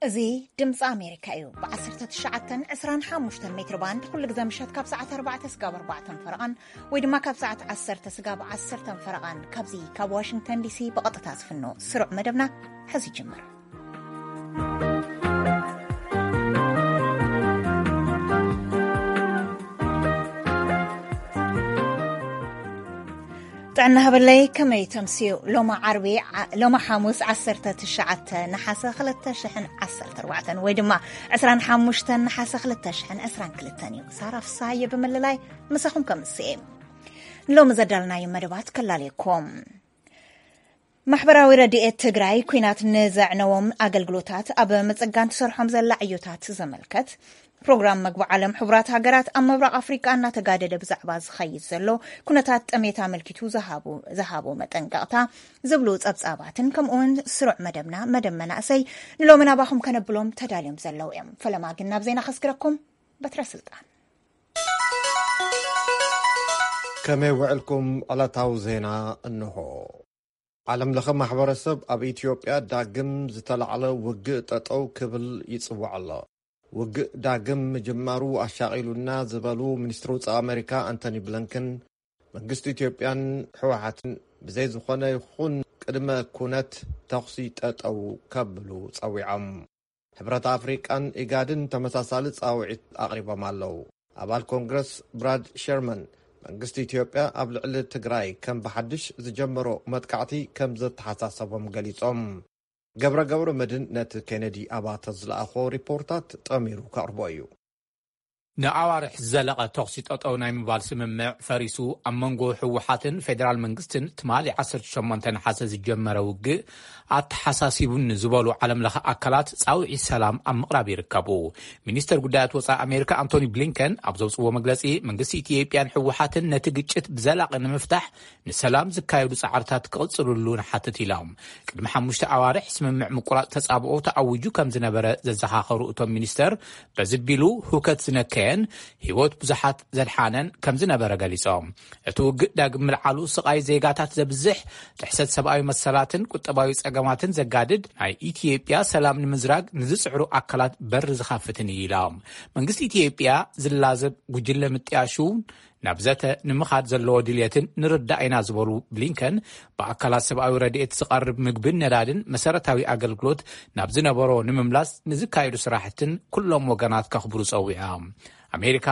እዚ ድምፂ ኣሜሪካ እዩ። ብ19፣ 25 ሜትር ባንድ ኩሉ ግዜ ምሸት ካብ ሰዓት ኣርባዕተ ስጋብ ኣርባዕተን ፈረቓን ወይ ድማ ካብ ሰዓት ዓሰርተ ስጋብ ዓሰርተን ፈረቓን ካብዚ ካብ ዋሽንግተን ዲሲ ብቐጥታ ዝፍኖ ስሩዕ መደብና ሕዚ ይጅምር። ጥዕና ሃበለይ፣ ከመይ ተምስዩ? ሎማ ዓርቢ፣ ዓ-፣ ሎማ ሓሙስ ዓሰርተ ትሽዓተ ነሓሰ ክልተ ሽሕን ዓሰርተ ኣርባዕተን ወይ ድማ ዕስራን ሓሙሽተን ነሓሰ ክልተ ሽሕን ዕስራን ክልተን እዩ። ሳራ ፍሳሃየ ብምልላይ ምሳኹም ከምስኤ። ንሎሚ ዘዳልናዮ መደባት ከላልየኩም። ማሕበራዊ ረድኤት ትግራይ፣ ኲናት ንዘዕነዎም ኣገልግሎታት ኣብ ምጽጋን ትሰርሖም ዘላ ዕዮታት ዘመልከት ፕሮግራም መግቢ ዓለም ሕቡራት ሃገራት ኣብ ምብራቕ ኣፍሪቃ እናተጋደደ ብዛዕባ ዝኸይድ ዘሎ ኩነታት ጠሜት ኣመልኪቱ ዝሃቡ፣ ዝሃቦ መጠንቀቕታ ዝብሉ ጸብጻባትን ከምኡውን ስሩዕ መደብና መደብ መናእሰይ ንሎሚ ናባኹም ከነብሎም ተዳልዮም ዘለዉ እዮም። ፈለማ ግን ናብ ዜና ከስግረኩም። በትረ ስልጣን። ከመይ ውዕልኩም? ዕለታዊ ዜና እንሆ። ዓለም ለኸ ማሕበረሰብ ኣብ ኢትዮጵያ ዳግም ዝተላዕለ ውግእ ጠጠው ክብል ይጽውዕ ኣሎ። ውግእ ዳግም ምጅማሩ ኣሻቒሉና ዝበሉ ሚኒስትሪ ውጻኢ ኣሜሪካ ኣንቶኒ ብሊንከን፣ መንግስቲ ኢትዮጵያን ህወሓትን ብዘይ ዝኾነ ይኹን ቅድመ ኩነት ተኹሲ ጠጠው ከብሉ ጸዊዖም። ሕብረት ኣፍሪቃን ኢጋድን ተመሳሳሊ ጻውዒት ኣቕሪቦም ኣለዉ። ኣባል ኮንግረስ ብራድ ሸርመን፣ መንግስቲ ኢትዮጵያ ኣብ ልዕሊ ትግራይ ከም ብሓድሽ ዝጀመሮ መጥቃዕቲ ከም ዘተሓሳሰቦም ገሊጾም። ገብረ ገብረ መድን ነቲ ኬነዲ ኣባተ ዝለኣኾ ሪፖርታት ጠሚሩ ከቕርቦ እዩ። ንኣዋርሕ ዝዘለቐ ተኹሲ ጠጠው ናይ ምባል ስምምዕ ፈሪሱ፣ ኣብ መንጎ ህወሓትን ፌደራል መንግስትን ትማሊ ዓሰርተ ሸሞንተ ነሓሰ ዝጀመረ ውግእ ኣተሓሳሲቡን ዝበሉ ዓለም ለኸ ኣካላት ጻውዒት ሰላም ኣብ ምቕራብ ይርከቡ። ሚኒስተር ጉዳያት ወጻኢ ኣሜሪካ ኣንቶኒ ብሊንከን ኣብ ዘውጽዎ መግለጺ፣ መንግስቲ ኢትዮጵያን ህወሓትን ነቲ ግጭት ብዘላቒ ንምፍታሕ ንሰላም ዝካየዱ ጻዕርታት ክቕጽልሉ ንሓትት ኢሎም። ቅድሚ ሓሙሽተ ኣዋርሕ ስምምዕ ምቁራጽ ተጻብኦ ተኣዊጁ ከም ዝነበረ ዘዘኻኸሩ እቶም ሚኒስተር፣ በዚ ቢሉ ህውከት ዝነከየን ህይወት ብዙሓት ዘድሓነን ከም ዝነበረ ገሊጾም። እቲ ውግእ ዳግም ምልዓሉ ስቓይ ዜጋታት ዘብዝሕ፣ ጥሕሰት ሰብኣዊ መሰላትን ቁጠባዊ ጸገማትን ዘጋድድ፣ ናይ ኢትዮጵያ ሰላም ንምዝራግ ንዝጽዕሩ ኣካላት በር ዝኸፍትን እዩ ኢሎም። መንግስቲ ኢትዮጵያ ዝላዘብ ጉጅለ ምጥያሹ ናብ ዘተ ንምኻድ ዘለዎ ድልየትን ንርዳእ ኢና ዝበሉ ብሊንከን፣ ብኣካላት ሰብኣዊ ረድኤት ዝቐርብ ምግብን ነዳድን መሰረታዊ ኣገልግሎት ናብ ዝነበሮ ንምምላስ ንዝካየዱ ስራሕትን ኩሎም ወገናት ከኽብሩ ጸዊዖም። ኣሜሪካ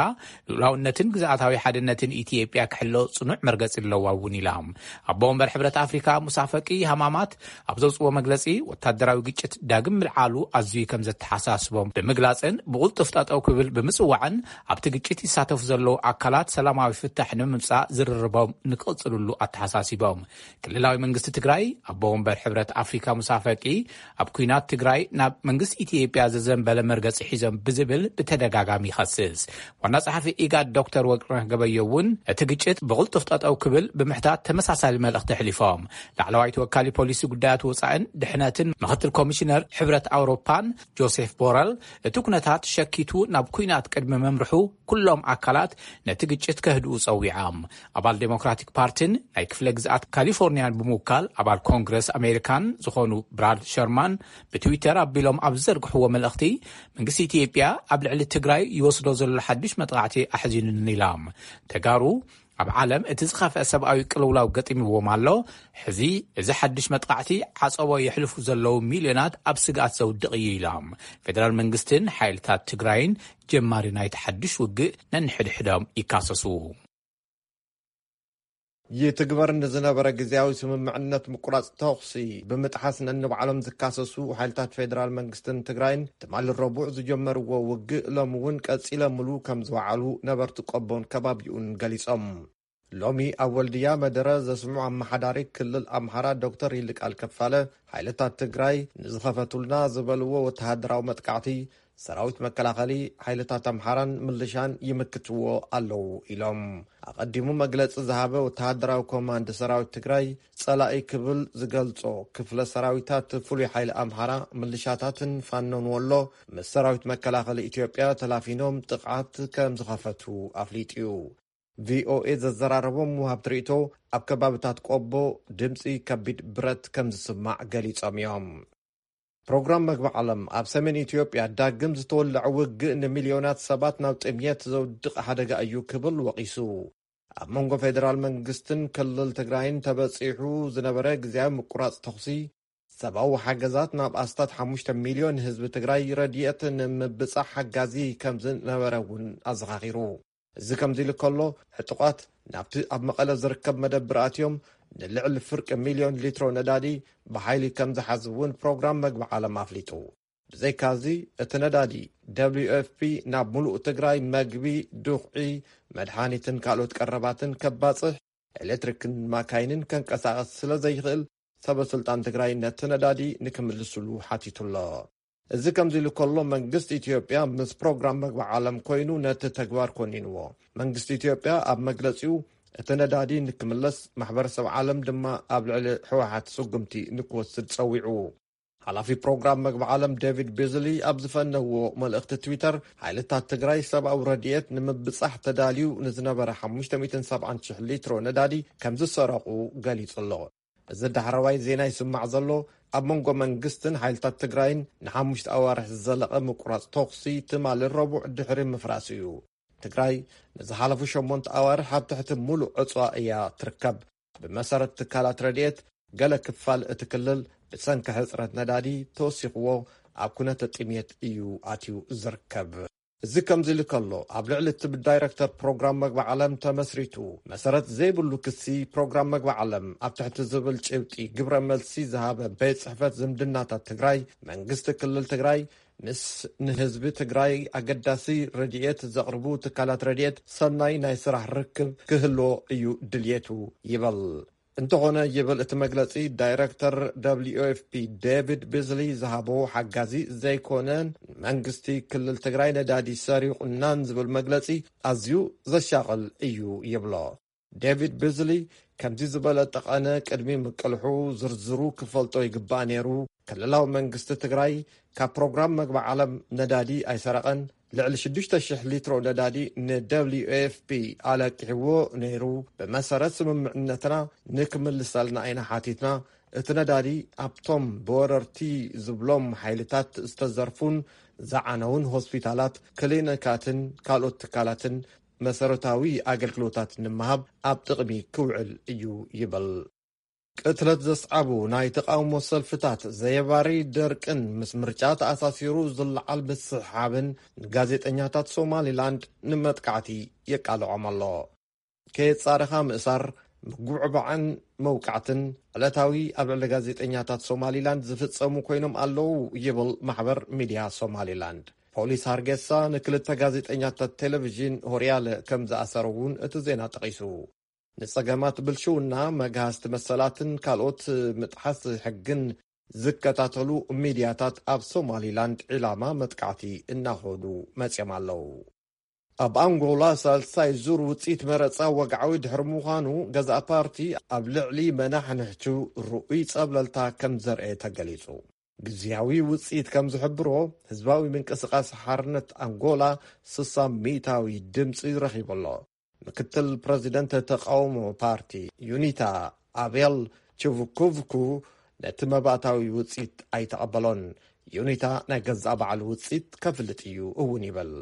ልኡላውነትን ግዝኣታዊ ሓድነትን ኢትዮጵያ ክሕሎ ጽኑዕ መርገጺ ኣለዋ እውን ኢላ። ኣቦ ወንበር ሕብረት ኣፍሪካ ሙሳ ፈቂ ሃማማት ኣብ ዘውፅዎ መግለፂ፣ ወታደራዊ ግጭት ዳግም ምልዓሉ ኣዝዩ ከም ዘተሓሳስቦም ብምግላፅን ብቕልጡፍ ጠጠው ክብል ብምፅዋዕን፣ ኣብቲ ግጭት ይሳተፉ ዘለዉ ኣካላት ሰላማዊ ፍታሕ ንምምፃእ ዝርርቦም ንክቕፅልሉ ኣተሓሳሲቦም። ክልላዊ መንግስቲ ትግራይ፣ ኣቦ ወንበር ሕብረት ኣፍሪካ ሙሳ ፈቂ፣ ኣብ ኲናት ትግራይ ናብ መንግስቲ ኢትዮጵያ ዘዘንበለ መርገፂ ሒዞም ብዝብል ብተደጋጋሚ ይኸስስ። ዋና ጸሓፊ ኢጋድ ዶክተር ወርቅነህ ገበዮ እውን እቲ ግጭት ብቕልጡፍ ጠጠው ክብል ብምሕታት ተመሳሳሊ መልእኽቲ ኣሕሊፎም። ላዕለዋይ ተወካሊ ፖሊሲ ጉዳያት ወጻእን ድሕነትን ምኽትል ኮሚሽነር ሕብረት ኣውሮፓን ጆሴፍ ቦረል፣ እቲ ኩነታት ሸኪቱ ናብ ኲናት ቅድሚ ምምርሑ ኩሎም ኣካላት ነቲ ግጭት ከህድኡ ጸዊዖም። ኣባል ዴሞክራቲክ ፓርቲን ናይ ክፍለ ግዝኣት ካሊፎርኒያን ብምውካል ኣባል ኮንግረስ ኣሜሪካን ዝኾኑ ብራድ ሸርማን ብትዊተር ኣቢሎም ኣብ ዝዘርግሕዎ መልእኽቲ፣ መንግስቲ ኢትዮጵያ ኣብ ልዕሊ ትግራይ ይወስዶ ዘሎ ሓድሽ መጥቃዕቲ ኣሕዚኑኒ ኢሎም። ተጋሩ ኣብ ዓለም እቲ ዝኸፍአ ሰብኣዊ ቅልውላው ገጢምዎም ኣሎ። ሕዚ እዚ ሓድሽ መጥቃዕቲ ዓጸቦ የሕልፉ ዘለዉ ሚልዮናት ኣብ ስግኣት ዘውድቕ እዩ ኢሎም። ፌደራል መንግስትን ሓይልታት ትግራይን ጀማሪ ናይቲ ሓድሽ ውግእ ነንሕድሕዶም ይካሰሱ። ይትግበር ንዝነበረ ግዝያዊ ስምምዕነት ምቁራጽ ተኹሲ ብምጥሓስ ነንባዕሎም ዝካሰሱ ሓይልታት ፌደራል መንግስትን ትግራይን ትማሊ ረቡዕ ዝጀመርዎ ውግእ ሎሚ እውን ቀጺለምሉ ከም ዝወዓሉ ነበርቲ ቆቦን ከባቢኡን ገሊጾም። ሎሚ ኣብ ወልድያ መደረ ዘስምዑ ኣመሓዳሪ ክልል ኣምሓራ ዶክተር ይልቃል ከፋለ፣ ሓይልታት ትግራይ ንዝኸፈቱልና ዝበልዎ ወተሃደራዊ መጥቃዕቲ ሰራዊት መከላኸሊ ሓይልታት ኣምሓራን ምልሻን ይምክትዎ ኣለዉ ኢሎም። ኣቐዲሙ መግለጺ ዝሃበ ወተሃደራዊ ኮማንድ ሰራዊት ትግራይ፣ ጸላኢ ክብል ዝገልጾ ክፍለ ሰራዊታት ፍሉይ ሓይሊ ኣምሓራ፣ ምልሻታትን ፋኖን ወሎ ምስ ሰራዊት መከላኸሊ ኢትዮጵያ ተላፊኖም ጥቕዓት ከም ዝኸፈቱ ኣፍሊጡ እዩ። ቪኦኤ ዘዘራረቦም ወሃብቲ ርእይቶ፣ ኣብ ከባብታት ቆቦ ድምጺ ከቢድ ብረት ከም ዝስማዕ ገሊጾም እዮም። ፕሮግራም መግቢ ዓለም ኣብ ሰሜን ኢትዮጵያ ዳግም ዝተወለዐ ውግእ ንሚልዮናት ሰባት ናብ ጥምየት ዘውድቕ ሓደጋ እዩ ክብል ወቒሱ። ኣብ መንጎ ፌደራል መንግስትን ክልል ትግራይን ተበጺሑ ዝነበረ ግዝያዊ ምቁራጽ ተኹሲ፣ ሰብኣዊ ሓገዛት ናብ ኣስታት ሓሙሽተ ሚልዮን ህዝቢ ትግራይ ረድኤት ንምብጻሕ ሓጋዚ ከም ዝነበረ እውን ኣዘኻኺሩ። እዚ ከምዚ ኢሉ ከሎ፣ ዕጡቓት ናብቲ ኣብ መቐለ ዝርከብ መደብር ኣትዮም ንልዕሊ ፍርቂ ሚልዮን ሊትሮ ነዳዲ ብሓይሊ ከም ዝሓዙ እውን ፕሮግራም መግቢ ዓለም ኣፍሊጡ። ብዘይካዚ፣ እቲ ነዳዲ ደብሊዩ ኤፍ ፒ ናብ ሙሉእ ትግራይ መግቢ፣ ዱኽዒ፣ መድሓኒትን ካልኦት ቀረባትን ከባጽሕ፣ ኤሌክትሪክን ማካይንን ከንቀሳቐስ ስለ ዘይኽእል፣ ሰበ ስልጣን ትግራይ ነቲ ነዳዲ ንክምልስሉ ሓቲቱ ኣሎ። እዚ ከምዚ ኢሉ ከሎ፣ መንግስቲ ኢትዮጵያ ምስ ፕሮግራም መግቢ ዓለም ኮይኑ ነቲ ተግባር ኮኒንዎ። መንግስቲ ኢትዮጵያ ኣብ መግለጺኡ፣ እቲ ነዳዲ ንክምለስ፣ ማሕበረሰብ ዓለም ድማ ኣብ ልዕሊ ህወሓት ስጉምቲ ንክወስድ ጸዊዑ። ሓላፊ ፕሮግራም መግቢ ዓለም ዴቪድ ቤዝሊ ኣብ ዝፈነዎ መልእኽቲ ትዊተር፣ ሓይልታት ትግራይ ሰብኣዊ ረድኤት ንምብጻሕ ተዳልዩ ንዝነበረ ሓሙሽተ ሚእትን ሰብዓን ሽሕ ሊትሮ ነዳዲ ከም ዝሰረቑ ገሊጹ ኣሎ። እዚ ዳሕረዋይ ዜና ይስማዕ ዘሎ፣ ኣብ መንጎ መንግስትን ሓይልታት ትግራይን ንሓሙሽተ ኣዋርሕ ዝዘለቐ ምቁራጽ ተኹሲ ትማሊ ረቡዕ ድሕሪ ምፍራሱ እዩ። ትግራይ ንዝሓለፉ ሸሞንተ ኣዋርሕ ኣብ ትሕቲ ሙሉእ ዕጽዋ እያ ትርከብ። ብመሰረት ትካላት ረድኤት፣ ገለ ክፋል እቲ ክልል ብሰንኪ ሕጽረት ነዳዲ ተወሲኽዎ ኣብ ኩነተ ጥምየት እዩ ኣትዩ ዝርከብ። እዚ ከምዚ ኢሉ ከሎ፣ ኣብ ልዕሊ እቲ ብዳይረክተር ፕሮግራም መግቢ ዓለም ተመስሪቱ መሰረት ዘይብሉ ክሲ ፕሮግራም መግቢ ዓለም ኣብ ትሕቲ ዝብል ጭብጢ ግብረ መልሲ ዝሃበ ቤት ጽሕፈት ዝምድናታት ትግራይ፣ መንግስቲ ክልል ትግራይ ምስ ንህዝቢ ትግራይ ኣገዳሲ ረድኤት ዘቕርቡ ትካላት ረድኤት ሰናይ ናይ ስራሕ ርክብ ክህልዎ እዩ ድልየቱ ይበል። እንተኾነ ይብል እቲ መግለጺ፣ ዳይረክተር ደብሊዩ ኤፍ ፒ ዴቪድ ቢዝሊ ዝሃቦ ሓጋዚ ዘይኮነ፣ መንግስቲ ክልል ትግራይ ነዳዲ ሰሪቑናን ዝብል መግለጺ ኣዝዩ ዘሻቕል እዩ ይብሎ። ዴቪድ ቢዝሊ ከምዚ ዝበለ ጠቐነ ቅድሚ ምቅልሑ ዝርዝሩ ክፈልጦ ይግባእ ነይሩ። ክልላዊ መንግስቲ ትግራይ ካብ ፕሮግራም መግቢ ዓለም ነዳዲ ኣይሰረቐን። ልዕሊ ሽዱሽተ ሽሕ ሊትሮ ነዳዲ ንደብሊዩ ኤፍ ፒ ኣለቂሕዎ ነይሩ። ብመሰረት ስምምዕነትና ንክምልሰልና ኢና ሓቲትና። እቲ ነዳዲ ኣብቶም ብወረርቲ ዝብሎም ሓይልታት ዝተዘርፉን ዝዓነውን ሆስፒታላት፣ ክሊኒካትን ካልኦት ትካላትን መሰረታዊ ኣገልግሎታት ንምሃብ ኣብ ጥቕሚ ክውዕል እዩ ይብል። ቅትለት ዘስዓቡ ናይ ተቓውሞ ሰልፍታት፣ ዘየባሪ ደርቅን ምስ ምርጫ ተኣሳሲሩ ዝለዓል ምስሕሓብን ንጋዜጠኛታት ሶማሊላንድ ንመጥቃዕቲ የቃልዖም ኣሎ። ከየጻረኻ ምእሳር፣ ምጉዕባዕን መውቃዕትን ዕለታዊ ኣብ ልዕሊ ጋዜጠኛታት ሶማሊላንድ ዝፍጸሙ ኮይኖም ኣለዉ ይብል ማሕበር ሚድያ ሶማሊላንድ። ፖሊስ ሃርጌሳ ንክልተ ጋዜጠኛታት ቴሌቪዥን ሆርያለ ከም ዝኣሰረ እውን እቲ ዜና ጠቒሱ። ንጸገማት ብልሽውና፣ መግሃስቲ መሰላትን ካልኦት ምጥሓስ ሕግን ዝከታተሉ ሚድያታት ኣብ ሶማሊላንድ ዒላማ መጥቃዕቲ እናኾኑ መጽዮም ኣለዉ። ኣብ ኣንጎላ ሳልሳይ ዙር ውጽኢት መረጻ ወግዓዊ ድሕሪ ምዃኑ፣ ገዛእ ፓርቲ ኣብ ልዕሊ መናሕንሕቱ ርኡይ ጸብለልታ ከም ዘርኤ ተገሊጹ። ግዝያዊ ውጽኢት ከም ዝሕብሮ፣ ህዝባዊ ምንቅስቓስ ሓርነት ኣንጎላ ስሳ ሚእታዊ ድምጺ ረኺቡ ኣሎ። ምክትል ፕረዚደንት ተቃውሞ ፓርቲ ዩኒታ፣ ኣቤል ችቭኩቭኩ፣ ነቲ መባእታዊ ውጽኢት ኣይተቐበሎን። ዩኒታ ናይ ገዛእ ባዕሉ ውጽኢት ከፍልጥ እዩ እውን ይብል።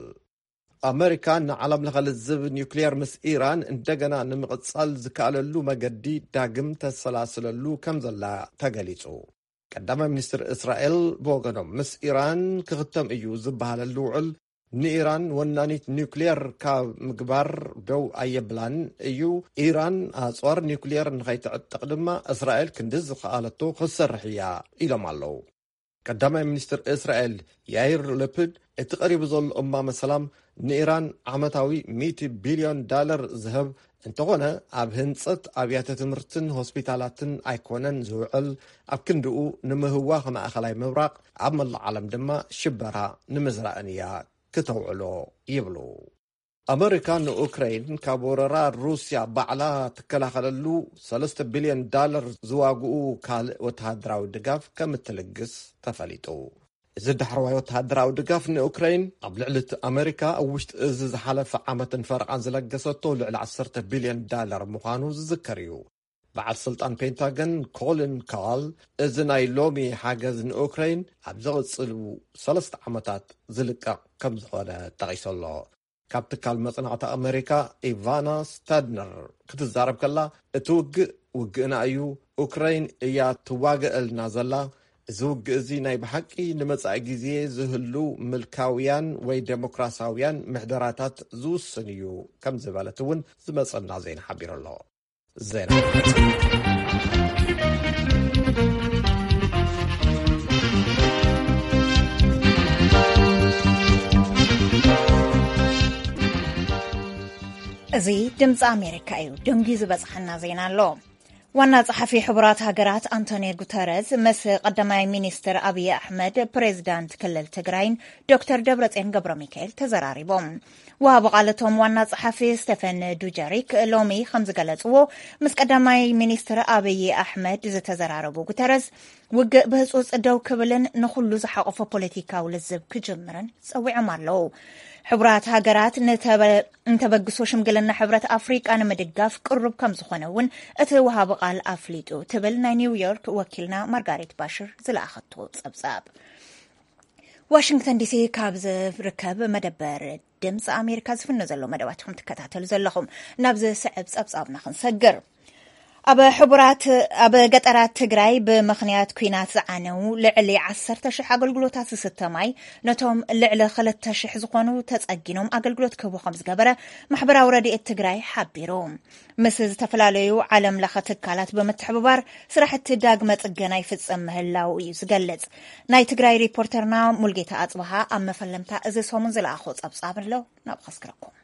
ኣመሪካ ንዓለም ለኸ ልዝብ ኒውክሊየር ምስ ኢራን እንደገና ንምቕጻል ዝከኣለሉ መገዲ ዳግም ተሰላስለሉ ከም ዘላ ተገሊጹ። ቀዳማይ ሚኒስትር እስራኤል ብወገኖም፣ ምስ ኢራን ክኽተም እዩ ዝበሃለሉ ውዕል ንኢራን ወናኒት ኒውክሊየር ካብ ምግባር ደው ኣየብላን እዩ። ኢራን ኣጽዋር ኒውክሊየር ንኸይትዕጥቕ ድማ እስራኤል ክንዲ ዝኸኣለቶ ክትሰርሕ እያ ኢሎም ኣለዉ። ቀዳማይ ሚኒስትር እስራኤል ያይር ለፒድ፣ እቲ ቀሪቡ ዘሎ እማመ ሰላም ንኢራን ዓመታዊ ሚእቲ ቢልዮን ዳለር ዝህብ እንተኾነ፣ ኣብ ህንጸት ኣብያተ ትምህርትን ሆስፒታላትን ኣይኮነን ዝውዕል፣ ኣብ ክንድኡ ንምህዋኽ ማእኸላይ ምብራቕ፣ ኣብ መላእ ዓለም ድማ ሽበራ ንምዝራእን እያ ክተውዕሎ ይብሉ። ኣመሪካ ንኡክረይን ካብ ወረራ ሩስያ ባዕላ ትከላኸለሉ ሰለስተ ቢልዮን ዳለር ዝዋግኡ ካልእ ወተሃደራዊ ድጋፍ ከም እትልግስ ተፈሊጡ። እዚ ዳሕረዋይ ወተሃደራዊ ድጋፍ ንኡክረይን ኣብ ልዕሊ እቲ ኣመሪካ ኣብ ውሽጢ እዚ ዝሓለፈ ዓመትን ፈረቓን ዝለገሰቶ ልዕሊ ዓሰርተ ቢልዮን ዳለር ምዃኑ ዝዝከር እዩ። በዓል ስልጣን ፔንታገን ኮሊን ካል፣ እዚ ናይ ሎሚ ሓገዝ ንኡክረይን ኣብ ዝቕጽሉ ሰለስተ ዓመታት ዝልቀቕ ከም ዝኾነ ጠቒሱ ኣሎ። ካብ ትካል መጽናዕቲ ኣመሪካ ኢቫና ስታድነር ክትዛረብ ከላ፣ እቲ ውግእ ውግእና እዩ፣ ኡክረይን እያ ትዋገእልና ዘላ። እዚ ውግእ እዚ ናይ ብሓቂ ንመጻኢ ግዜ ዝህሉ ምልካውያን ወይ ደሞክራሲያውያን ምሕደራታት ዝውስን እዩ ከም ዝበለት እውን ዝመጸና ዜና ሓቢሩ ኣሎ። ዜና እዚ ድምፂ ኣሜሪካ እዩ። ደንጊ ዝበፅሓና ዜና ኣሎ። ዋና ጸሓፊ ሕቡራት ሃገራት ኣንቶኒዮ ጉተረዝ ምስ ቀዳማይ ሚኒስትር ኣብይ ኣሕመድ፣ ፕሬዚዳንት ክልል ትግራይን ዶክተር ደብረጽዮን ገብረ ሚካኤል ተዘራሪቦም። ወሃቢ ቃል እቶም ዋና ጸሓፊ ስቴፈን ዱጀሪክ ሎሚ ከም ዝገለጽዎ፣ ምስ ቀዳማይ ሚኒስትር ኣብይ ኣሕመድ ዝተዘራረቡ ጉተረዝ፣ ውግእ ብህጹጽ ደው ክብልን ንኹሉ ዝሓቆፈ ፖለቲካዊ ልዝብ ክጅምርን ጸዊዖም ኣለዉ። ሕቡራት ሃገራት ንተበ-፣ ንተበግሶ ሽምግልና ሕብረት ኣፍሪቃ ንምድጋፍ ቅሩብ ከም ዝኾነ እውን እቲ ወሃቢ ቃል ኣፍሊጡ፣ ትብል ናይ ኒውዮርክ ወኪልና ማርጋሬት ባሽር ዝለኣኸቶ ጸብጻብ። ዋሽንግተን ዲሲ ካብ ዝርከብ መደበር ድምፂ ኣሜሪካ ዝፍኖ ዘሎ መደባት ኢኹም ትከታተሉ ዘለኹም። ናብ ዝስዕብ ጸብጻብና ክንሰግር። ኣብ ሕቡራት፣ ኣብ ገጠራት ትግራይ ብምኽንያት ኲናት ዝዓነው ልዕሊ ዓሰርተ ሽሕ ኣገልግሎታት ዝስተ ማይ ነቶም ልዕሊ ክልተ ሽሕ ዝኾኑ ተጸጊኖም ኣገልግሎት ክህቡ ከም ዝገበረ ማሕበራዊ ረድኤት ትግራይ ሓቢሩ። ምስ ዝተፈላለዩ ዓለም ለኸ ትካላት ብምትሕብባር ስራሕቲ ዳግመ ጽገና ይፍጸም ምህላው እዩ ዝገልጽ። ናይ ትግራይ ሪፖርተርና ሙልጌታ ኣጽብሃ ኣብ መፈለምታ እዚ ሰሙን ዝለኣኾ ጸብጻብ ኣሎ፣ ናብ ከስክረኩም።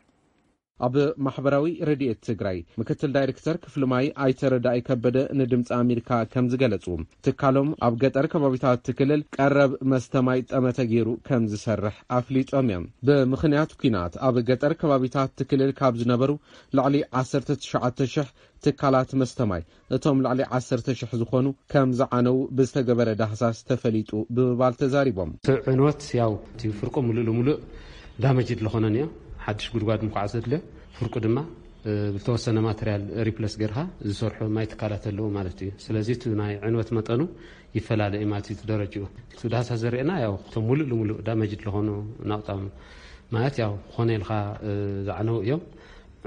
ኣብ ማሕበራዊ ረድኤት ትግራይ ምክትል ዳይሬክተር ክፍሊ ማይ ኣይተረዳኢ ከበደ ንድምፂ ኣሜሪካ ከም ዝገለጹ፣ ትካሎም ኣብ ገጠር ከባቢታት እቲ ክልል ቀረብ መስተ ማይ ጠመተ ገይሩ ከም ዝሰርሕ ኣፍሊጦም እዮም። ብምኽንያት ኲናት ኣብ ገጠር ከባቢታት እቲ ክልል ካብ ዝነበሩ ልዕሊ ዓሰርተ ትሽዓተ ሽሕ ትካላት መስተ ማይ፣ እቶም ልዕሊ ዓሰርተ ሽሕ ዝኾኑ ከም ዝዓነው ብዝተገበረ ዳህሳስ ተፈሊጡ ብምባል ተዛሪቦም። እቲ ዕንወት ያው እቲ ፍርቁ ሙሉእ ለሙሉእ ዳመጅድ ለኾነን እዮ። ሓድሽ ጉድጓድ ምኳዓ ዘድልዮ፣ ፍርቁ ድማ፣ እ፣ ብተወሰነ ማተርያል ሪፕለስ ጌርካ ዝሰርሑ ማይ ትካላት ኣለዉ ማለት እዩ። ስለዚ እቲ ናይ ዕንወት መጠኑ ይፈላለ እዩ ማለት እዩ፣ እቲ ደረጅኡ። እቲ ዳህሳስ ዘርእየና ያው እቶም ሙሉእ ለሙሉእ ዳመጅድ ለኾኑ ናውጣም ማለት ያው ኾነ ኢልካ፣ እ፣ ዝዓነው እዮም።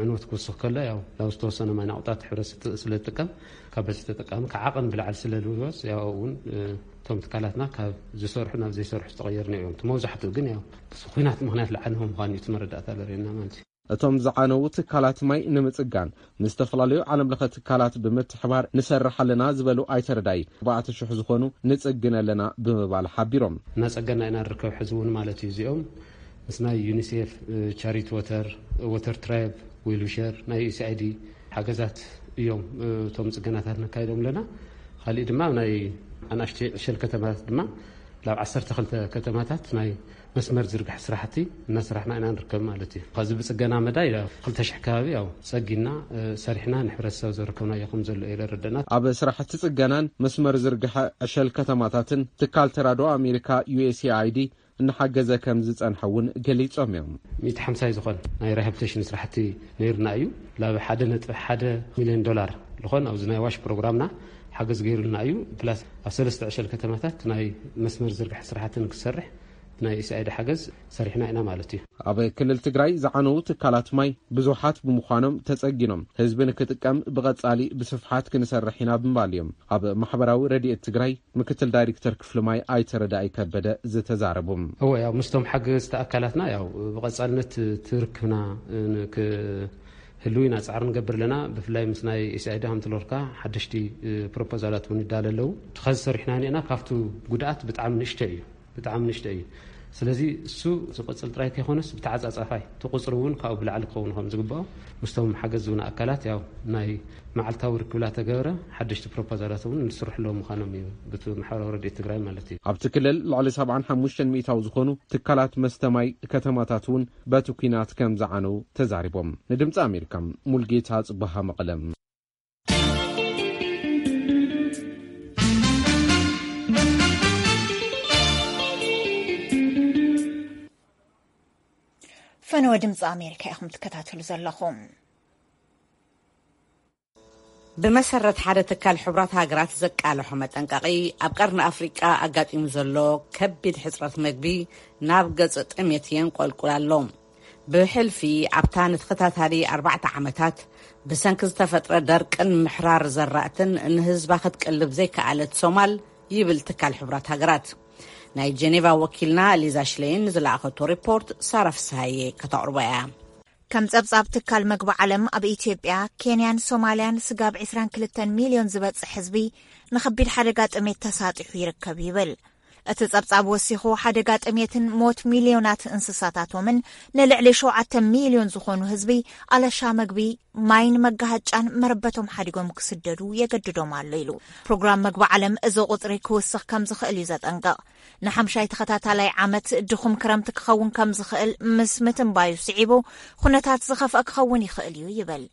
ዕንወት ክውስኽ ከሎ ያው ናብ ዝተወሰነ ማይ ናቑጣት ሕብረት ስት-፣ ስለ ዝጥቀም፣ ካብ በዝሒ ተጠቃሚ ካብ ዓቐን ብላዕሊ ስለ ዝውስ፣ ያው እውን፣ እ፣ እቶም ትካላትና ካብ ዝሰርሑ ናብ ዘይሰርሑ ዝተቐየሩ እዮም። እቲ መብዛሕትኡ ግን ያው ኲናት ምኽንያት ዝዓነወ ምዃኑ እዩ እቲ መረዳእታ ዘርእየና ማለት እዩ። እቶም ዝዓነዉ ትካላት ማይ ንምጽጋን ምስ ዝተፈላለዩ ዓለም ለኸ ትካላት ብምትሕባር ንሰርሕ ኣለና ዝበሉ ኣይተረዳይ፣ ኣርባዕተ ሽሕ ዝኾኑ ንጽግን ኣለና ብምባል ሓቢሮም። እናጸገና ኢና ንርከብ ሕዚ እውን ማለት እዩ። እዚኦም ምስ ናይ ዩኒሴፍ፣ እ፣ ቻሪቲ ወተር፣ ወተር ትራይብ፣ ዌልዊሸር፣ ናይ ዩ ኤስ ኣይ ዲ ሓገዛት እዮም፣ እ፣ እቶም ጽገናታት ነካይዶም ኣለና። ካሊእ ድማ ናይ ኣናእሽተይ ዕሸል ከተማታት ድማ ላብ ዓሰርተ ክልተ ከተማታት ናይ መስመር ዝርግሐ ስራሕቲ እናሰራሕና ኢና ንርከብ ማለት እዩ። ካብዚ ብጽገና መዳይ ላብ ክልተ ሽሕ ከባቢ ያው ጸጊና፣ እ፣ ሰሪሕና ንሕብረተሰብ ዘረከብናዮ ከም ዘሎ እዩ ዘረደና። ኣብ ስራሕቲ ጽገናን መስመር ዝርግሐ ዕሸል ከተማታትን ትካል ተራድኦ ኣሜሪካ ዩ ኤስ ኤ ኣይ ዲ እናሓገዘ ከም ዝጸንሐ እውን ገሊጾም እዮም። ሚእቲ ሓምሳይ ዝኾን ናይ ሪሃብሊቴሽን ስራሕቲ ነይርና እዩ። ላብ ሓደ ነጥቢ ሓደ ሚልዮን ዶላር ዝኾን ኣብዚ ናይ ዋሽ ፕሮግራምና ሓገዝ ገይሩልና እዩ። ፕላስ ኣብ ሰለስተ ዕሸል ከተማታት ናይ መስመር ዝርግሐ ስራሕቲ ንክሰርሕ ናይ ዩ ኤስ ኣይ ዲ ሓገዝ ሰሪሕና ኢና ማለት እዩ። ኣብ ክልል ትግራይ ዝዓነዉ ትካላት ማይ ብዙሓት ብምዃኖም ተጸጊኖም ህዝቢ ንክጥቀም ብቐጻሊ ብስፍሓት ክንሰርሕ ኢና ብምባል እዮም ኣብ ማሕበራዊ ረድኤት ትግራይ ምክትል ዳይሬክተር ክፍሊ ማይ ኣይተረዳኢ ከበደ ዝተዛረቡ። እወ፣ ያው ምስቶም ሓገዝቲ ኣካላትና ያው ብቐጻልነት ትርክብና ን-፣ ክህሉ ኢና ጻዕሪ ንገብር ኣለና። ብፍላይ ምስ ናይ ኤስ ኣይ ዲ ሃምትሎርካ ሓደሽቲ፣ እ፣ ፕሮፖዛላት እውን ይዳለ ኣለዉ። እቲ ኸዚ ሰሪሕና እኒአና ካብቱ ጉድኣት ብጣዕሚ ንእሽቶ እዩ፣ ብጣዕሚ ንእሽቶ እዩ። ስለዚ እሱ ዝቕጽል ጥራይ ከይኮነስ ብተዓጻጻፋይ እቲ ቁጽሪ እውን ካብኡ ብላዕሊ ክኸውን ከም ዝግብኦ ምስቶም ሓገዝ ዝብና ኣካላት ያው ናይ መዓልታዊ ርክብላ ተገብረ ሓደሽቲ ፕሮፖዛላት እውን ዝስርሑ ኣለዉ ምዃኖም እዩ፣ ብቲ ማሕበራዊ ረድኤት ትግራይ ማለት እዩ። ኣብቲ ክልል ልዕሊ ሰብዓን ሓሙሽተን ሚእታዊ ዝኾኑ ትካላት መስተ ማይ ከተማታት እውን በቲ ኲናት ከም ዝዓነው ተዛሪቦም። ንድምፂ ኣሜሪካ ሙልጌታ ጽቡሃ መቐለ። ፈነወ ድምፂ ኣሜሪካ ኢኹም ትከታተሉ ዘለኹም። ብመሰረት ሓደ ትካል ሕቡራት ሃገራት ዘቃልሖ መጠንቀቒ፣ ኣብ ቀርኒ ኣፍሪቃ ኣጋጢሙ ዘሎ ከቢድ ሕጽረት መግቢ ናብ ገጽ ጥሜት የንቆልቁል ኣሎ። ብሕልፊ ኣብታ ንተኸታታሊ ኣርባዕተ ዓመታት ብሰንኪ ዝተፈጥረ ደርቅን ምሕራር ዘራእትን ንህዝባ ክትቅልብ ዘይከኣለት ሶማል፣ ይብል ትካል ሕቡራት ሃገራት። ናይ ጀኔቫ ወኪልና ሊዛ ሽሌይን ንዝለኣኸቶ ሪፖርት ሳራ ፍስሃየ ከተቕርቦ እያ። ከም ጸብጻብ ትካል መግቢ ዓለም፣ ኣብ ኢትዮጵያ፣ ኬንያን ሶማልያን ስጋብ ዕስራን ክልተን ሚልዮን ዝበጽሕ ህዝቢ ንኸቢድ ሓደጋ ጥሜት ተሳጢሑ ይርከብ ይብል። እቲ ጸብጻብ ወሲኹ፣ ሓደጋ ጥሜትን ሞት ሚልዮናት እንስሳታቶምን ንልዕሊ ሸውዓተ ሚልዮን ዝኾኑ ህዝቢ ኣለሻ መግቢ፣ ማይን መጋሃጫን መረበቶም ሓዲጎም ክስደዱ የገድዶም ኣሎ ኢሉ። ፕሮግራም መግቢ ዓለም እዚ ቁጽሪ ክውስኽ ከም ዝኽእል እዩ ዘጠንቅቕ። ንሓምሻይ ተኸታታላይ ዓመት ድኹም ክረምቲ ክኸውን ከም ዝኽእል ምስ ምትንባዩ ስዒቡ፣ ኩነታት ዝኸፍአ ክኸውን ይኽእል እዩ ይብል።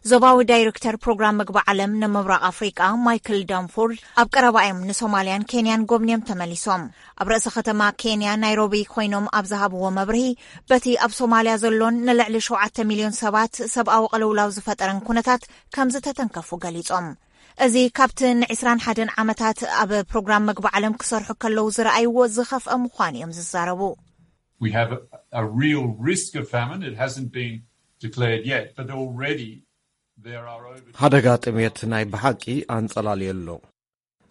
ዞባዊ ዳይሬክተር ፕሮግራም መግቢ ዓለም ንምብራቕ ኣፍሪቃ ማይክል ዳንፎርድ ኣብ ቀረባ እዮም ንሶማልያን ኬንያን ጎብንዮም ተመሊሶም። ኣብ ርእሰ ከተማ ኬንያ ናይሮቢ ኮይኖም ኣብ ዝሃብዎ መብርሂ፣ በቲ ኣብ ሶማልያ ዘሎን ንልዕሊ ሸውዓተ ሚልዮን ሰባት ሰብኣዊ ቅልውላው ዝፈጠረን ኩነታት ከም ዝተተንከፉ ገሊጾም። እዚ ካብቲ ንዕስራን ሓደን ዓመታት ኣብ ፕሮግራም መግቢ ዓለም ክሰርሑ ከለዉ ዝረኣይዎ ዝኸፍአ ምዃኑ እዮም ዝዛረቡ። We have a, a real risk of famine. It hasn't been declared yet, but already there are over ሓደጋ ጥሜት ናይ ብሓቂ ኣንጸላልዮ ኣሎ።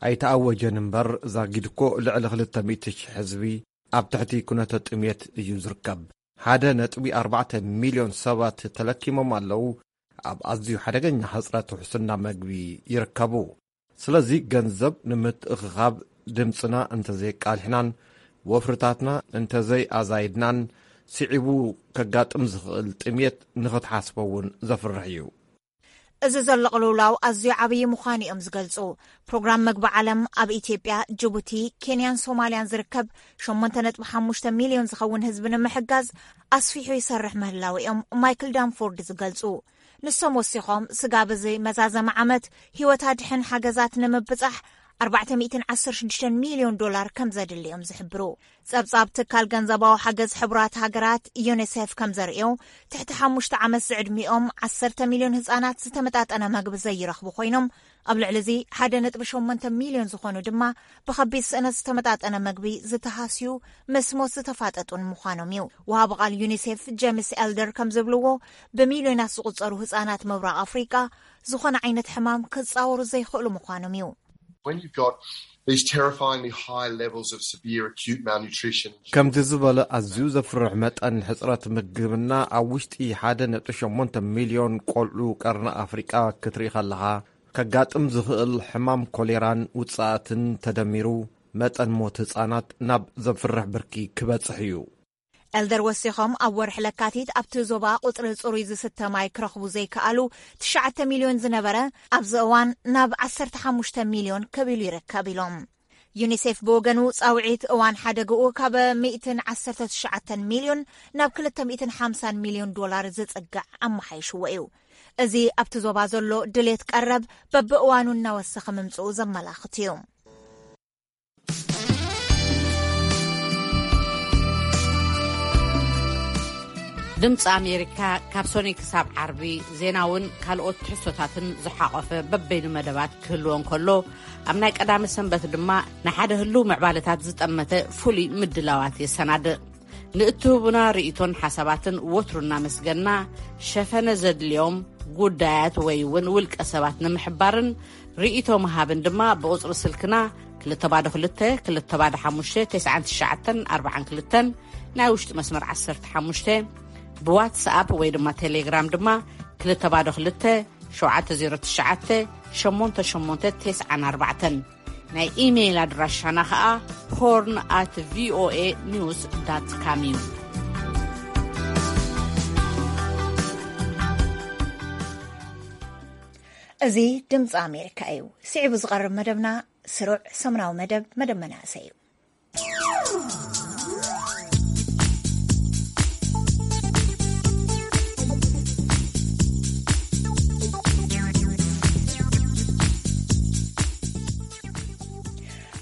ኣይተኣወጀን እምበር፣ ዛጊድ እኮ ልዕሊ ክልተ ሚእቲ ሽሕ ህዝቢ ኣብ ትሕቲ ኩነተ ጥሜት እዩ ዝርከብ። ሓደ ነጥቢ ኣርባዕተ ሚልዮን ሰባት ተለኪሞም ኣለዉ። ኣብ ኣዝዩ ሓደገኛ ሕጽረት ውሕስና መግቢ ይርከቡ። ስለዚ፣ ገንዘብ ንምትእኽኻብ ድምጽና እንተዘየቃልሕናን ወፍርታትና እንተዘይኣዛይድናን፣ ስዒቡ ከጋጥም ዝኽእል ጥሜት ንኽትሓስቦ እውን ዘፍርሕ እዩ። እዚ ዘሎ ቅልውላው ኣዝዩ ዓብዪ ምዃኑ እዮም ዝገልጹ። ፕሮግራም መግቢ ዓለም ኣብ ኢትዮጵያ፣ ጅቡቲ፣ ኬንያን ሶማልያን ዝርከብ ሸሞንተ ነጥቢ ሓሙሽተ ሚልዮን ዝኸውን ህዝቢ ንምሕጋዝ ኣስፊሑ ይሰርሕ ምህላው እዮም ማይክል ዳንፎርድ ዝገልጹ። ንሶም ወሲኾም፣ ስጋብ እዚ መዛዘሚ ዓመት ህይወት ኣድሕን ሓገዛት ንምብጻሕ ኣርባዕተ ሚእትን ዓሰርተ ሽዱሽተ ሚልዮን ዶላር ከም ዘድሊ እዮም ዝሕብሩ። ጸብጻብ ትካል ገንዘባዊ ሓገዝ ሕቡራት ሃገራት ዩኒሴፍ ከም ዘርእዮ፣ ትሕቲ ሓሙሽተ ዓመት ዝዕድሚኦም ዓሰርተ ሚልዮን ህጻናት ዝተመጣጠነ መግቢ ዘይረኽቡ ኮይኖም፣ ኣብ ልዕሊ እዚ ሓደ ነጥቢ ሸሞንተ ሚልዮን ዝኾኑ ድማ ብኸቢድ ስእነት ዝተመጣጠነ መግቢ ዝተሃስዩ፣ ምስ ሞት ዝተፋጠጡን ምዃኖም እዩ። ወሃቢ ቃል ዩኒሴፍ ጀምስ ኤልደር ከም ዝብልዎ፣ ብሚልዮናት ዝቑጸሩ ህጻናት ምብራቕ ኣፍሪቃ ዝኾነ ዓይነት ሕማም ክጻወሩ ዘይኽእሉ ምዃኖም እዩ። When you've got these terrifyingly high levels of severe acute malnutrition, ከምዚ ዝበለ ኣዝዩ ዘፍርሕ መጠን ሕጽረት ምግብና ኣብ ውሽጢ ሓደ ነጥቢ ሸሞንተ ሚልዮን ቆልዑ ቀርኒ ኣፍሪቃ ክትርኢ ከለኻ፣ ከጋጥም ዝኽእል ሕማም ኮሌራን ውጽኣትን ተደሚሩ፣ መጠን ሞት ህጻናት ናብ ዘፍርሕ ብርኪ ክበጽሕ እዩ። ኤልደር ወሲኾም፣ ኣብ ወርሒ ለካቲት ኣብቲ ዞባ ቁጽሪ ጽሩይ ዝስተ ማይ ክረኽቡ ዘይከኣሉ ትሽዓተ ሚልዮን ዝነበረ፣ ኣብዚ እዋን ናብ ዓሰርተ ሓሙሽተ ሚልዮን ከቢሉ ይርከብ ኢሎም። ዩኒሴፍ ብወገኑ፣ ጻውዒት እዋን ሓደግኡ ካብ ሚእትን ዓሰርተ ትሽዓተን ሚልዮን ናብ ክልተ ሚእትን ሓምሳን ሚልዮን ዶላር ዝጽጋዕ ኣመሓይሽዎ እዩ። እዚ ኣብቲ ዞባ ዘሎ ድሌት ቀረብ በብእዋኑ እናወሰኸ ምምጽኡ ዘመላኽት እዩ። ድምፂ ኣሜሪካ ካብ ሶኒ ክሳብ ዓርቢ ዜናውን ካልኦት ትሕዝቶታትን ዝሓቖፈ በበይኑ መደባት ክህልዎ እንከሎ፣ ኣብ ናይ ቀዳመ ሰንበት ድማ ንሓደ ህልው ምዕባለታት ዝጠመተ ፍሉይ ምድላዋት የሰናድእ። ንእትህቡና ርእይቶን ሓሳባትን ወትሩ እናመስገና፣ ሸፈነ ዘድልዮም ጉዳያት ወይ እውን ውልቀ ሰባት ንምሕባርን ርእይቶ ምሃብን ድማ ብቁጽሪ ስልክና ክልተ ባዶ ክልተ፣ ክልተ ባዶ ሓሙሽተ፣ ተስዓን ትሽዓተን ኣርባዓን ክልተን፣ ናይ ውሽጢ መስመር ዓሰርተ ሓሙሽተ፣ ብዋትስኣፕ ወይ ድማ ቴሌግራም ድማ ክልተ ባዶ ክልተ፣ ሸውዓተ ዜሮ ትሽዓተ፣ ሸሞንተ ሸሞንተ ተስዓን ኣርባዕተን። ናይ ኢሜይል ኣድራሻና ኸኣ ሆርን ኣት ቪኦኤ ኒውስ ዳት ካም እዩ። እዚ ድምፂ ኣሜሪካ እዩ። ስዒቡ ዝቐርብ መደብና ስሩዕ ሰሙናዊ መደብ፣ መደብ መናእሰይ እዩ።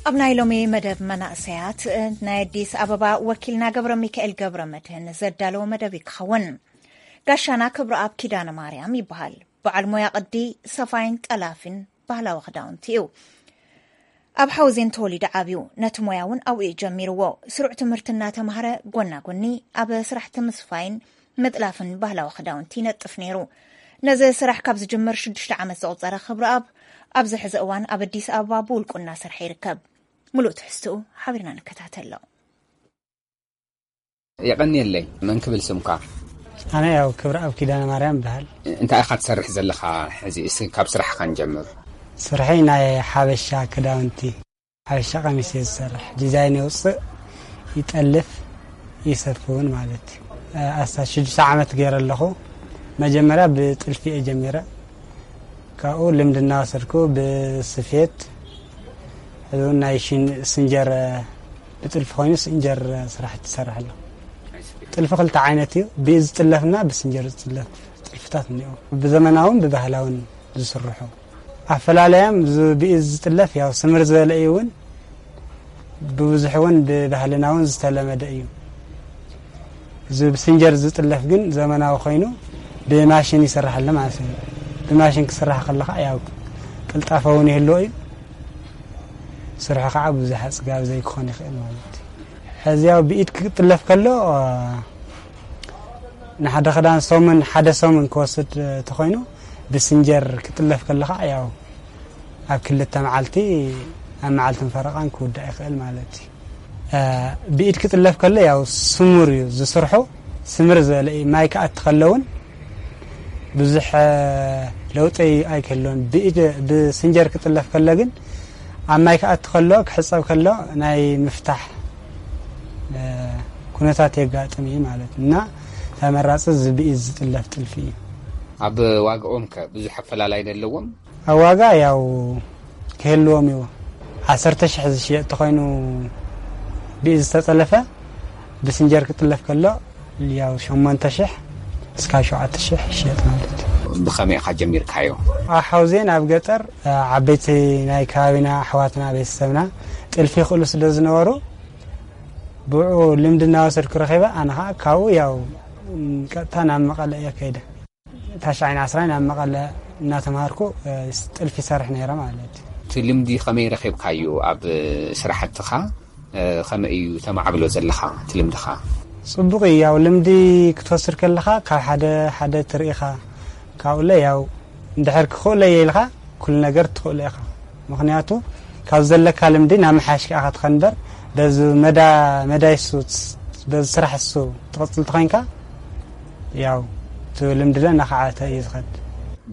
ኣብ ናይ ሎሚ መደብ መናእሰያት፣ ናይ ኣዲስ ኣበባ ወኪልና ገብረ ሚካኤል ገብረ መድህን ዘዳለወ መደብ እዩ ክኸውን። ጋሻና ክብረኣብ ኪዳነ ማርያም ይበሃል። በዓል ሞያ ቅዲ፣ ሰፋይን ጠላፊን ባህላዊ ክዳውንቲ እዩ። ኣብ ሓውዜን ተወሊዱ ዓብዩ፣ ነቲ ሞያ እውን ኣብኡ እዩ ጀሚርዎ። ስሩዕ ትምህርቲ እናተማህረ ጎና ጎኒ ኣብ ስራሕቲ ምስፋይን ምጥላፍን ባህላዊ ክዳውንቲ ይነጥፍ ነይሩ። ነዚ ስራሕ ካብ ዝጅምር ሽዱሽተ ዓመት ዘቑፀረ ክብረኣብ፣ ኣብዚ ሕዚ እዋን ኣብ ኣዲስ ኣበባ ብውልቁ እናሰርሐ ይርከብ። ምሉእ ትሕዝትኡ ሓቢርና ንከታተሎ። የቐንየለይ። መን ክብል ስምካ? ኣነ ያው ክብረኣብ ኪዳነ ማርያም ይበሃል። እንታይ ኢኻ ትሰርሕ ዘለኻ ሕዚ? እስኪ ካብ ስራሕኻ ንጀምር። ስርሐይ ናይ ሓበሻ ክዳውንቲ፣ ሓበሻ ቀሚስ እየ ዝሰርሕ። ዲዛይን የውፅእ፣ ይጠልፍ፣ ይሰፊ እውን ማለት እዩ። ኣስታት ሽዱሽተ ዓመት ገይረ ኣለኹ። መጀመርያ ብጥልፊ እየ ጀሚረ። ካብኡ ልምዲ እናወሰድኩ ብስፌት፣ ሕዚ እውን ናይ ሽን- ስንጀር፣ ብጥልፊ ኮይኑ ስንጀር ስራሕቲ ይሰርሕ ኣለኹ። ጥልፊ ክልተ ዓይነት እዩ፣ ብኢድ ዝጥለፍና ብስንጀር ዝጥለፍ ጥልፍታት እኒኦ። ብዘመናውን ብባህላውን ዝስርሑ ኣፈላለያም፣ እዚ ብኢድ ዝጥለፍ ያው ስምር ዝበለ እዩ እውን፣ ብብዙሕ እውን ብባህልና እውን ዝተለመደ እዩ። እዚ ብስንጀር ዝጥለፍ ግን ዘመናዊ ኮይኑ ብማሽን ይስራሕ ኣሎ ማለት እዩ። ብማሽን ክስራሕ ከለኻ ያው ቅልጣፈ እውን ይህልዎ እዩ። ስርሑ ከዓ ብዙሕ ኣፅጋቢ ዘይክኾን ይኽእል ማለት እዩ። ሕዚ ያው ብኢድ ክጥለፍ ከሎ፣ ንሓደ ክዳን ሰሙን፣ ሓደ ሰሙን ክወስድ ተኾይኑ፣ ብስንጀር ክጥለፍ ከሎ ከዓ ያው ኣብ ክልተ መዓልቲ፣ ኣብ መዓልትን ፈረቓን ክውዳእ ይኽእል ማለት እዩ። እ፣ ብኢድ ክጥለፍ ከሎ ያው ስሙር እዩ ዝስርሑ፣ ስምር ዝበለ እዩ። ማይ ክኣቲ ከሎ እውን ብዙሕ፣ እ፣ ለውጢ ኣይክህልዎን። ብኢድ፣ ብስንጀር ክጥለፍ ከሎ ግን ኣብ ማይ ክኣቲ ከሎ፣ ክሕፀብ ከሎ ናይ ምፍታሕ፣ እ፣ ኩነታት የጋጥም እዩ ማለት እዩ። እና ተመራፂ እዚ ብኢድ ዝጥለፍ ጥልፊ እዩ። ኣብ ዋግኦም ከ ብዙሕ ኣፈላላይ ዶ ኣለዎም? ኣብ ዋጋ ያው ክህልዎም እዩ። ዓሰርተ ሽሕ ዝሽየጥ ተኾይኑ ብኢድ ዝተጠለፈ ብስንጀር ክጥለፍ ከሎ ያው ሸሞንተ ሽሕ እስካብ ሸውዓተ ሽሕ ይሽየጥ ማለት እዩ። ብኸመይ ኢኻ ጀሚርካዮ? ኣብ ሓውዜን ኣብ ገጠር፣ እ፣ ዓበይቲ ናይ ከባቢና ኣሕዋትና ቤተሰብና ጥልፊ ይኽእሉ ስለ ዝነበሩ ብኡ ልምዲ እናወሰድኩ ረኺበ። ኣነ ኸዓ ካብኡ ያው፣ ም፣ ቀጥታ ናብ መቐለ እየ ከይደ። ታሽዓይን ዓስራይን ኣብ መቐለ እናተምሃርኩ፣ እ፣ ጥልፊ ይሰርሕ ነይረ ማለት እዩ። እቲ ልምዲ ከመይ ረኺብካዮ? ኣብ ስራሕትኻ፣ እ፣ ከመይ እዩ ተማዕብሎ ዘለኻ እቲ ልምድኻ? ጽቡቕ እዩ። ያው ልምዲ ክትወስድ ከለኻ ካብ ሓደ ሓደ ትርኢኻ፣ ካብኡለ ያው እንድሕር ክኽእሎ እየ ኢልካ ኩሉ ነገር ትኽእሎ ኢኻ። ምኽንያቱ ካብ ዘለካ ልምዲ ናብ ምሓሽ ከኣ ክትኸን እምበር፣ በዚ መዳ-፣ መዳይ እሱ፣ በዚ ስራሕ እሱ ትቕጽል ተኾይንካ፣ ያው እቲ ልምዲ ለ እናኸዓተ እዩ ዝኸድ።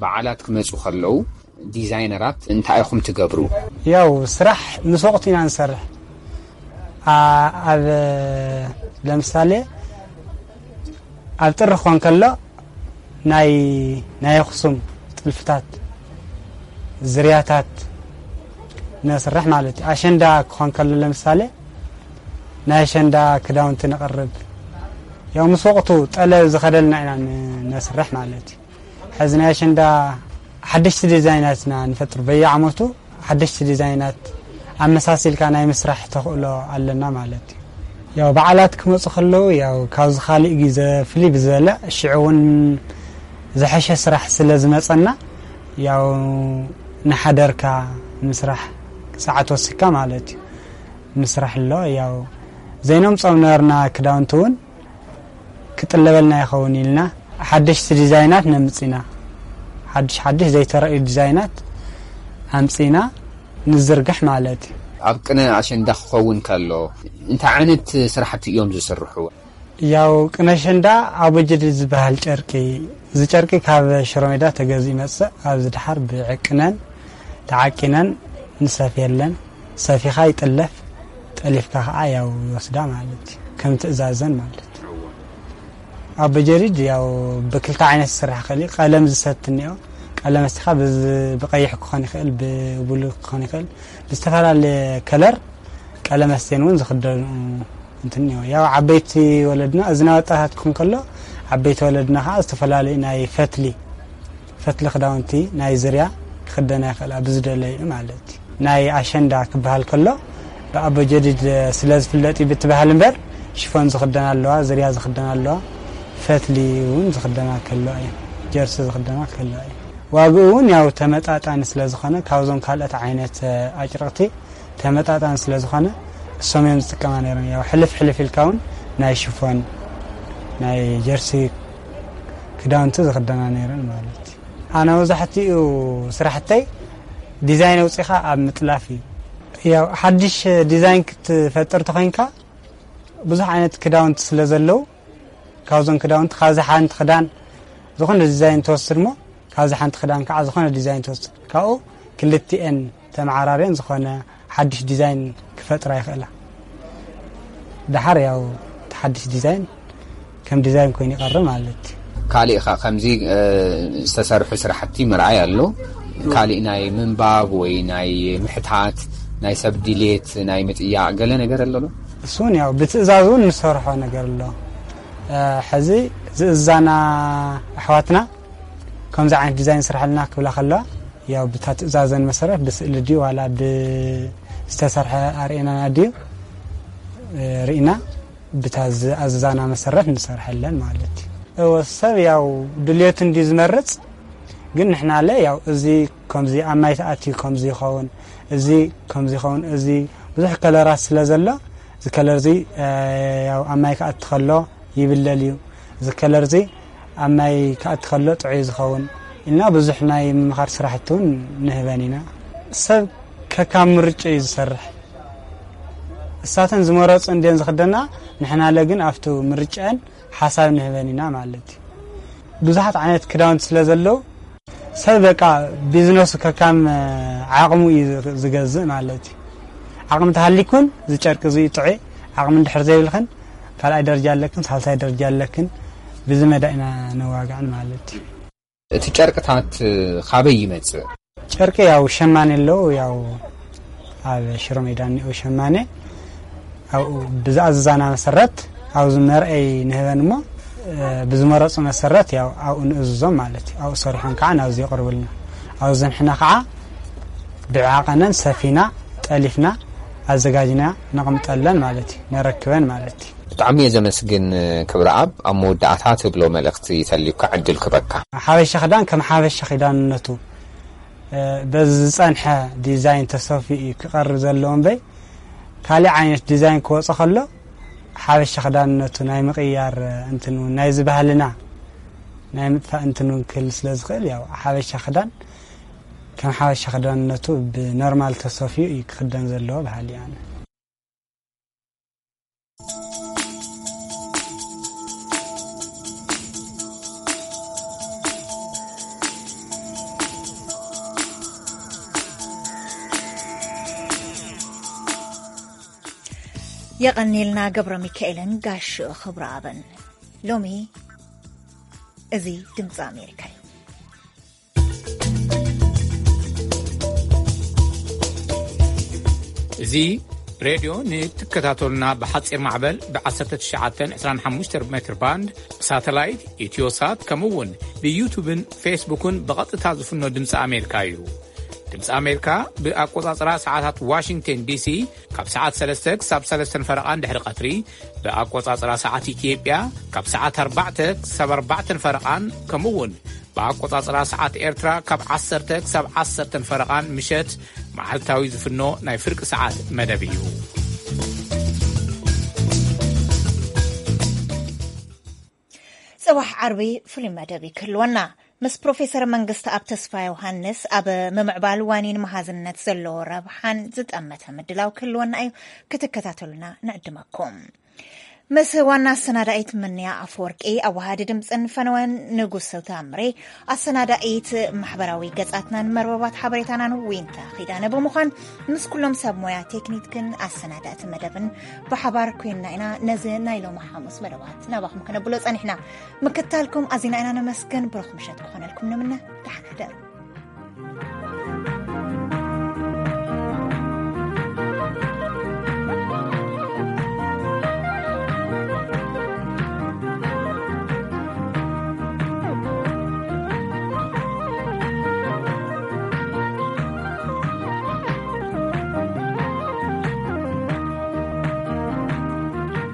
በዓላት ክመጹ ከለዉ ዲዛይነራት እንታይ ኢኹም ትገብሩ? ያው ስራሕ ምስ ወቕቱ ኢና ንሰርሕ። ኣ-፣ ኣብ ለምሳሌ ኣብ ጥሪ ክኾን ከሎ ናይ፣ ናይ ኣኽሱም ጥልፍታት፣ ዝርያታት ነስርሕ ማለት እዩ። ኣሸንዳ ክኾን ከሎ ለምሳሌ ናይ ኣሸንዳ ክዳውንቲ ነቕርብ። ያው ምስ ወቕቱ ጠለብ ዝኸደልና ኢና ን-፣ ነስርሕ ማለት እዩ። ሕዚ ናይ ኣሸንዳ ሓደሽቲ ዲዛይናት ኢና ንፈጥር። በየዓመቱ ሓደሽቲ ዲዛይናት ኣመሳሲልካ ናይ ምስራሕ ተኽእሎ ኣለና ማለት እዩ። ያው በዓላት ክመጹ ከለዉ ያው ካብዚ ካሊእ ግዜ ፍልይ ብዝበለ ሽዑ እውን ዝሐሸ ስራሕ ስለ ዝመጸና ያው ንሓደርካ ምስራሕ ሰዓት ወሲካ ማለት እዩ። ምስራሕ ኣሎ ያው ዘይነምጾም ነበርና ክዳውንቲ እውን ክጥለበልና ይኸውን ኢልና ሓደሽቲ ዲዛይናት ነምጽ ኢና። ሓድሽ ሓድሽ ዘይተረእዩ ዲዛይናት ኣምጺና ንዝርግሕ ማለት እዩ። ኣብ ቅነ ኣሸንዳ ክኸውን ከሎ እንታይ ዓይነት ስራሕቲ እዮም ዝስርሑ? ያው ቅነ ኣሸንዳ ኣቦጀዲ ዝበሃል ጨርቂ፣ እዚ ጨርቂ ካብ ሽሮ ሜዳ ተገዚኡ ይመጽእ። ኣብዚ ድሓር ብዕቅነን ተዓቂነን ንሰፍየለን። ሰፊኻ ይጥለፍ፣ ጠሊፍካ ከዓ ያው ይወስዳ ማለት እዩ። ከም ትእዛዘን ማለት እዩ። ኣቦጀዲድ ያው ብክልተ ዓይነት ዝስራሕ ክእል እዩ። ቀለም ዝሰቲ እኒኦ። ቀለም ኣስቲኻ ብዝ-፣ ብቀይሕ ክኾን ይኽእል፣ ብብሉ ክኾን ይኽእል። ብዝተፈላለየ ከለር ቀለም ኣስቴን እውን ዝኽደኑ እንትን እኒኦ። ያው ዓበይቲ ወለድና፣ እዚ ናይ ወጣታት ክኾን ከሎ፣ ዓበይቲ ወለድና ከዓ ዝተፈላለዩ ናይ ፈትሊ፣ ፈትሊ ክዳውንቲ ናይ ዝርያ ክኽደና ይኽእላ ብዝደለዩ ማለት እዩ። ናይ ኣሸንዳ ክበሃል ከሎ ብኣቦ ጀዲድ ስለ ዝፍለጥ እዩ ብቲ ባህሊ እምበር፣ ሽፎን ዝኽደና ኣለዋ፣ ዝርያ ዝኽደና ኣለዋ፣ ፈትሊ እውን ዝኽደና ከለዋ እዩ፣ ጀርሲ ዝኽደና ከለዋ እዩ። ዋግኡ እውን ያው ተመጣጣኒ ስለ ዝኾነ፣ ካብዞም ካልኦት ዓይነት ኣጭርቕቲ ተመጣጣኒ ስለ ዝኾነ፣ እሶም እዮም ዝጥቀማ ነይረን። ያው ሕልፍ ሕልፍ ኢልካ እውን ናይ ሽፎን፣ ናይ ጀርሲ ክዳውንቲ ዝኽደና ነይረን ማለት እዩ። ኣነ መብዛሕትኡ ስራሕተይ ዲዛይን ኣውፂኻ ኣብ ምጥላፍ እዩ። ያው ሓድሽ ዲዛይን ክትፈጥር ተኾይንካ፣ ብዙሕ ዓይነት ክዳውንቲ ስለ ዘለዉ፣ ካብዞም ክዳውንቲ ካብዚ ሓንቲ ክዳን ዝኾነ ዲዛይን ትወስድ እሞ፣ ካብዚ ሓንቲ ክዳን ከዓ ዝኾነ ዲዛይን ትወስድ። ካብኡ ክልቲኤን ተመዓራርየን ዝኾነ ሓድሽ ዲዛይን ክፈጥራ ይኽእላ። ደሓር ያው እቲ ሓድሽ ዲዛይን ከም ዲዛይን ኮይኑ ይቐርብ ማለት እዩ። ካሊእ ኸ ከምዚ ዝተሰርሑ ስራሕቲ ምርኣይ ኣሎ። ካሊእ ናይ ምንባብ ወይ ናይ ምሕታት፣ ናይ ሰብ ድሌት ናይ ምጥያቕ ገለ ነገር ኣሎ ዶ? እሱን ያው ብትእዛዝ እውን ንሰርሖ ነገር ኣሎ። ሕዚ ዝእዛና ኣሕዋትና ከምዚ ዓይነት ዲዛይን ስርሐልና ክብላ ከለዋ፣ ያው ብታ ትእዛዘን መሰረት ብስእሊ ድዩ ዋላ ብዝተሰርሐ ኣርእናና ድዩ ርኢና፣ ብታ ዝኣዘዛና መሰረት ንሰርሐለን ማለት እዩ። እወ፣ ሰብ ያው ድልየቱ እንዲ ዝመርጽ፣ ግን ንሕናለ ያው እዚ ከምዚ ኣብ ማይ ተኣትዩ ከምዚ ይኸውን፣ እዚ ከምዚ ይኸውን፣ እዚ ብዙሕ ከለራት ስለ ዘሎ፣ እዚ ከለር እዚ ያው ኣብ ማይ ክኣቲ ከሎ ይብለል እዩ፣ እዚ ከለር እዚ ኣብ ማይ ክኣቲ ከሎ ጥዑይ ዝኸውን ኢልና ብዙሕ ናይ ምምኻር ስራሕቲ እውን ንህበን ኢና። ሰብ ከካብ ምርጫ እዩ ዝሰርሕ። እሳተን ዝመረፁ እንድየን ዝኽደና፣ ንሕናለ ግን ኣብቲ ምርጫን ሓሳብ ንህበን ኢና ማለት እዩ። ብዙሓት ዓይነት ክዳውንቲ ስለ ዘለዉ፣ ሰብ በቃ ቢዝነሱ ከካም ዓቕሙ እዩ ዝገዝእ ማለት እዩ። ዓቕሚ ተሃሊኩን እዚ ጨርቂ እዚ ጥዑይ፣ ዓቕሚ እንድሕር ዘይብልክን ካልኣይ ደረጃ ኣለክን ሳልሳይ ደረጃ ኣለክን ብዚ መዳ ኢና ነዋግዕን ማለት እዩ። እቲ ጨርቅታት ካበይ ይመጽእ? ጨርቂ ያው ሸማኔ ኣለዉ፣ ያው ኣብ ሽሮ ሜዳ እኒኦ ሸማኔ ኣብኡ ብዝኣዘዛና መሰረት ኣብዚ መርአይ ንህበን እሞ ብዝመረፁ መሰረት ያው ኣብኡ ንእዝዞም ማለት እዩ። ኣብኡ ሰሪሖም ከዓ ናብዚ የቕርብልና። ኣብዚ ንሕና ከዓ ብዓቐነን ሰፊና ጠሊፍና ኣዘጋጅና ነቕምጠለን ማለት እዩ፣ ነረክበን ማለት እዩ። ብጣዕሚ እየ ዘመስግን ክብረኣብ። ኣብ መወዳእታ ትብሎ መልእኽቲ ተልዩካ ዕድል ክበካ። ሓበሻ ክዳን ከም ሓበሻ ክዳንነቱ በዚ ዝጸንሐ ዲዛይን ተሰፊኡ እዩ ክቐርብ ዘለዎ እምበይ፣ ካሊእ ዓይነት ዲዛይን ክወጽእ ከሎ ሓበሻ ክዳንነቱ ናይ ምቕያር እንትን እውን ናይዚ ባህልና ናይ ምጥፋእ እንትን እውን ክህል ስለ ዝኽእል፣ ያው ሓበሻ ክዳን ከም ሓበሻ ክዳንነቱ ብኖርማል ተሰፊኡ እዩ ክኽደን ዘለዎ በሃሊ እየ ኣነ። የቐኒልና ገብረ ሚካኤልን ጋሽ ክብረኣብን። ሎሚ እዚ ድምፂ ኣሜሪካ እዩ። እዚ ሬድዮ ንትከታተሉና ብሓፂር ማዕበል ብ1925 ሜትር ባንድ ብሳተላይት ኢትዮሳት ከምኡ እውን ብዩቱብን ፌስቡክን ብቐጥታ ዝፍኖ ድምፂ ኣሜሪካ እዩ። ድምፂ ኣሜሪካ ብኣቆፃፅራ ሰዓታት ዋሽንግተን ዲሲ ካብ ሰዓት ሰለስተ ክሳብ ሰለስተን ፈረቓን ድሕሪ ቀትሪ፣ ብኣቆፃፅራ ሰዓት ኢትዮጵያ ካብ ሰዓት ኣርባዕተ ክሳብ ኣርባዕተን ፈረቓን ከምኡ እውን ብኣቆጻጽራ ሰዓት ኤርትራ ካብ ዓሰርተ ክሳብ ዓሰርተን ፈረቓን ምሸት መዓልታዊ ዝፍኖ ናይ ፍርቂ ሰዓት መደብ እዩ። ጽባሕ ዓርቢ ፍሉይ መደብ እዩ ክህልወና። ምስ ፕሮፌሰር መንግስተኣብ ተስፋ ዮሃንስ ኣብ ምምዕባል ዋኒን መሃዝነት ዘለዎ ረብሓን ዝጠመተ ምድላው ክህልወና እዩ። ክትከታተሉና ንዕድመኩም። ምስ ዋና ኣሰናዳኢት ምንያ ኣፈወርቂ፣ ኣዋሃዲ ድምፅን ፈነወን ንጉሰ ታምሬ፣ ኣሰናዳኢት ማሕበራዊ ገጻትናን መርበባት ሓበሬታናን ዊንታ ኺዳነ ብምዃን ምስ ኩሎም ሰብ ሞያ ቴክኒክን ኣሰናዳእቲ መደብን ብሓባር ኮይንና ኢና ነዚ ናይ ሎሚ ሓሙስ መደባት ናባኹም ከነብሎ ጸኒሕና። ምክታልኩም ኣዚና ኢና ነመስግን። ብሩኽ ምሸት ክኾነልኩም ንምነ። ደሓን ሕደሩ።